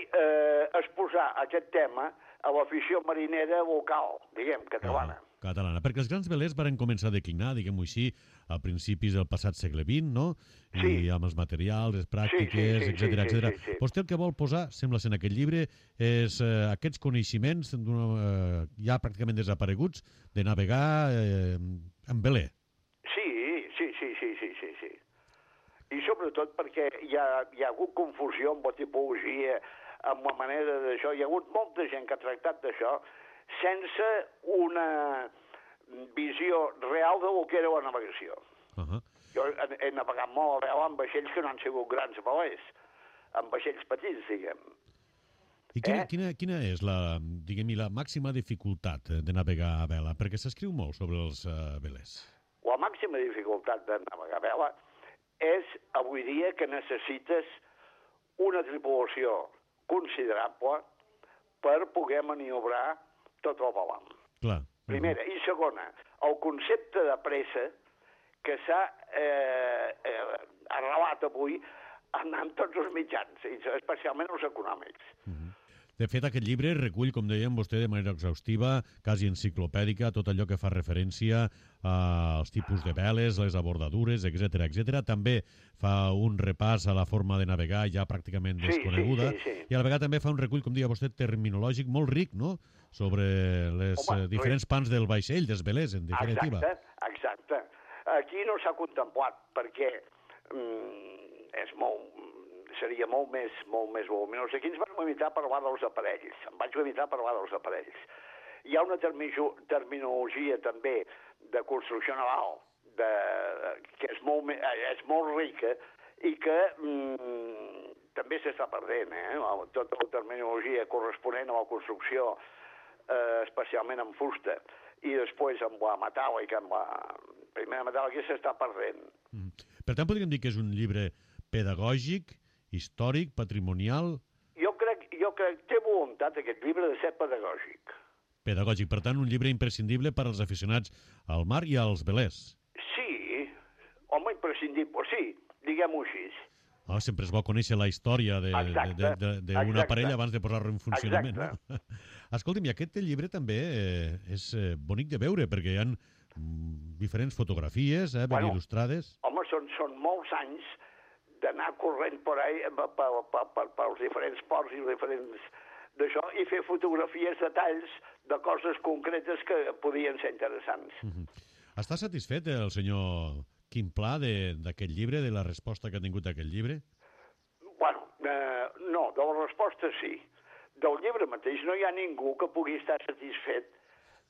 exposar aquest tema a l'afició marinera local, diguem, catalana.
Catalana, perquè els grans velers van començar a declinar, diguem-ho així, a principis del passat segle XX, no? I amb els materials, les pràctiques, etc. Vostè el que vol posar, sembla ser en aquest llibre, és aquests coneixements ja pràcticament desapareguts de navegar en veler.
Sí. I sobretot perquè hi ha hagut confusió amb la tipologia, amb la manera d'això. Hi ha hagut molta gent que ha tractat d'això sense una visió real de lo que era la navegació. Jo he navegat molt a vela amb vaixells que no han sigut grans velers, amb vaixells petits, diguem.
I quina és la màxima dificultat de navegar a vela? Perquè s'escriu molt sobre els velers.
La màxima dificultat de navegar a vela és, avui dia, que necessites una tripulació considerable per poder maniobrar tot el balam.
Clar.
Primera. I segona, el concepte de pressa que s'ha arrelat avui en tots els mitjans, especialment els econòmics.
De fet, aquest llibre recull, com dèiem vostè, de manera exhaustiva, quasi enciclopèdica, tot allò que fa referència als tipus de veles, les abordadures, etc. També fa un repàs a la forma de navegar ja pràcticament desconeguda.
Sí.
I a la vegada també fa un recull, com deia vostè, terminològic molt ric, no?, sobre les diferents pans del vaixell, dels velers, en definitiva.
Exacte. Aquí no s'ha contemplat, perquè seria molt més voluminós. Aquí ens vam limitar a parlar dels aparells. Em vaig limitar a parlar dels aparells. Hi ha una terminologia també de construcció naval que és molt rica i que també s'està perdent. Tota la terminologia corresponent a la construcció, especialment en fusta, i després amb la metàl·lica, amb la primera metàl·lica, s'està perdent.
Per tant, podríem dir que és un llibre pedagògic, històric, patrimonial...
Jo crec que té voluntat aquest llibre de ser pedagògic.
Pedagògic, per tant, un llibre imprescindible per als aficionats al mar i als velers.
Sí, home, imprescindible, sí, diguem-ho així.
Sempre és bo conèixer la història d'un aparell abans de posar-lo en funcionament. No? Escolti'm, i aquest llibre també és bonic de veure, perquè hi ha diferents fotografies ben il·lustrades.
Home, són molts anys d'anar corrent per ahí pels diferents ports i diferents d'això i fer fotografies, detalls de coses concretes que podien ser interessants.
Està satisfet el senyor Quim Pla d'aquest llibre, de la resposta que ha tingut aquest llibre?
Bueno, no, de la resposta sí. Del llibre mateix no hi ha ningú que pugui estar satisfet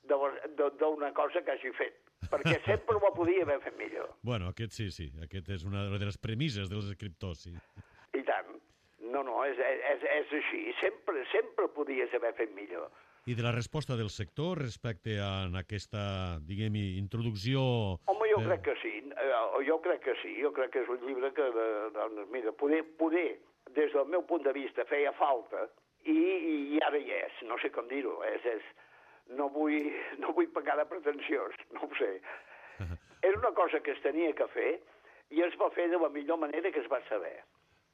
d'una cosa que hagi fet, perquè sempre ho podia haver fet millor.
Bueno, aquest sí. Aquest és una de les premisses dels escriptors, sí.
I tant. No, és així. Sempre podies haver fet millor.
I de la resposta del sector respecte a aquesta, diguem-hi, introducció...
Home, jo crec que sí. Jo crec que és un llibre que, mira, poder, des del meu punt de vista, feia falta i ara hi és. No sé com dir-ho. No vull pecar de pretensiós, no ho sé. Era una cosa que es tenia que fer i es va fer de la millor manera que es va saber.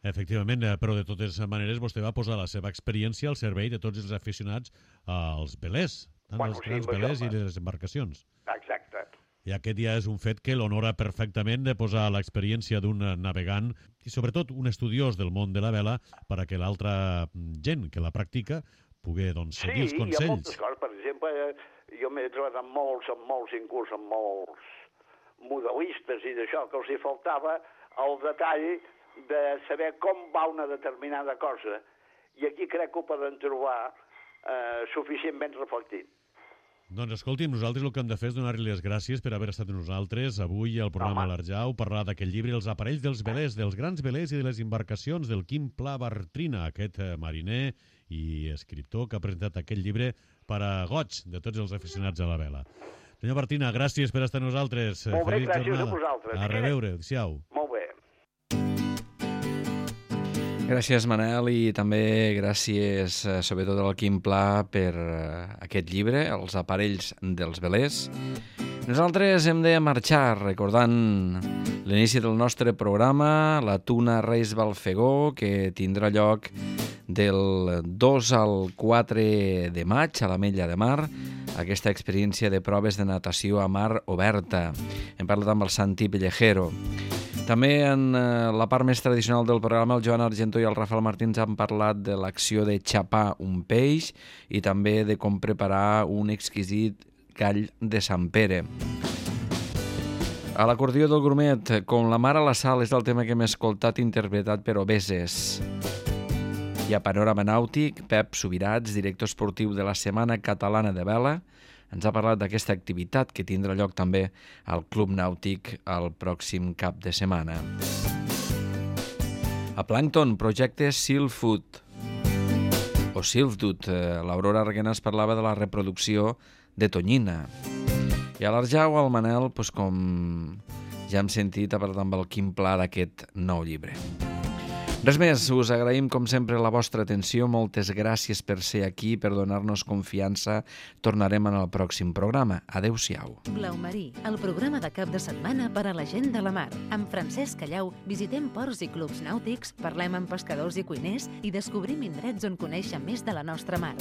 Efectivament, però de totes maneres vostè va posar la seva experiència al servei de tots els aficionats als velers, els grans velers i les embarcacions.
Exacte.
I aquest ja és un fet que l'honora perfectament de posar l'experiència d'un navegant i sobretot un estudiós del món de la vela per a que l'altra gent que la practica pugui seguir els consells.
Sí, hi ha moltes coses. Per exemple, jo m'he trobat amb molts inclús amb molts modelistes i d'això, que els hi faltava el detall de saber com va una determinada cosa, i aquí crec que ho poden trobar suficientment reflectit.
Doncs escolti'm, nosaltres el que hem de fer és donar-li les gràcies per haver estat amb nosaltres avui al programa L'Arjau, parlar d'aquest llibre, Els aparells dels velers, dels grans velers i de les embarcacions, del Quim Pla Bartrina, aquest mariner i escriptor que ha presentat aquest llibre per a goig de tots els aficionats a la vela. Senyor Bartrina, gràcies per estar amb nosaltres.
Molt bé, gràcies a vosaltres.
A reveure, adéu-siau.
Molt bé.
Gràcies, Manel, i també gràcies, sobretot, al Quim Pla per aquest llibre, Els aparells dels velers. Nosaltres hem de marxar recordant l'inici del nostre programa, la Tuna Reis Balfegó, que tindrà lloc del 2 al 4 de maig a l'Ametlla de Mar, aquesta experiència de proves de natació a mar oberta. Hem parlat amb el Santi Pellejero. També en la part més tradicional del programa, el Joan Argentó i el Rafael Martins han parlat de l'acció de xapar un peix i també de com preparar un exquisit gall de Sant Pere. A l'acordió del grumet, Com la mar a la sal, és el tema que hem escoltat interpretat per Obeses. I a Panorama Nàutic, Pep Subirats, director esportiu de la Setmana Catalana de Vela, ens ha parlat d'aquesta activitat que tindrà lloc també al Club Nàutic el pròxim cap de setmana. A Plankton, projecte Silfood o Silfdut. L'Aurora Arguenas parlava de la reproducció de tonyina. I a l'Arjau, el Manel, com ja hem sentit, ha parlat amb el Quim Pla d'aquest nou llibre. Res més, us agraïm com sempre la vostra atenció, moltes gràcies per ser aquí, per donar-nos confiança. Tornarem en el pròxim programa. Adéu-siau.
Blau Marí, el programa de cap de setmana per a la gent de la mar. Amb Francesc Callau visitem ports i clubs nàutics, parlem amb pescadors i cuiners i descobrim indrets on conèixer més de la nostra mar.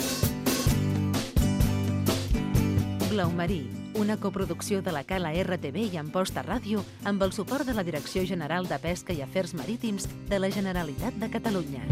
Blau Marí, una coproducció de la Cala RTV i Amposta Ràdio amb el suport de la Direcció General de Pesca i Afers Marítims de la Generalitat de Catalunya.